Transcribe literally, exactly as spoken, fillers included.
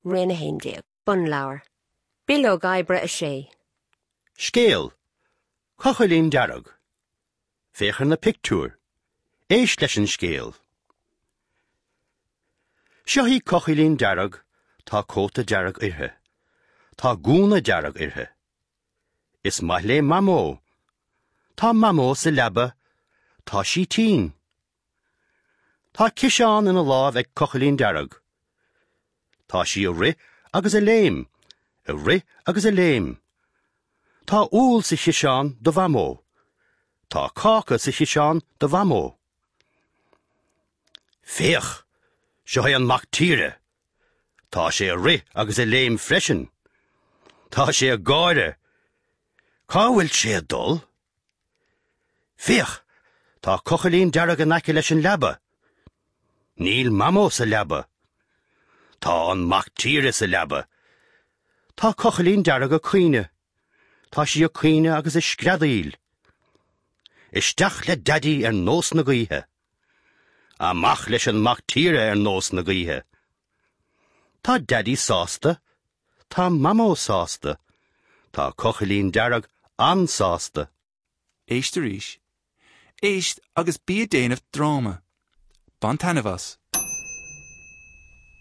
Roinn a haon déag. Bunleabhar. Bileog oibre a sé. Scéal. Cochaillín Dearg. Féach ar na pictiúir. Éist leis an scéal. Seo í Cochaillín Dearg, tá cóta dearg uirthi. Tá gúna dearg uirthi. Is maith léi Mamó. Tá Mamó sa leaba. Tá sí tinn. Tá ciseán ina lámh ag Cochaillín Dearg. Tá sí ag rith agus ag léim, ag rith agus ag léim. Tá úll sa chiseán do Mhamó. Tá cáca sa chiseán do Mhamó. Féach, seo é an mac tíre. Tá sé ag rith agus ag léim freisin. Tá sé ag gáire. Cá bhfuil sé ag dul? Féach, tá cochaillín dearg in aice leis an leaba. Níl Mamó sa leaba. Tá an mac tíre sa leaba. Tá cochaillín dearg ag caoineadh. Tá sí ag caoineadh agus ag screadaíl. Isteach le Daidí ar nós na gaoithe. Amach leis an mac tíre ar nós na gaoithe. Tá Daidí sásta, Tá Mamó sásta, Tá cochaillín dearg an-sásta. Éist arís. Éist agus bí ag déanamh dráma. Bain taitneamh as.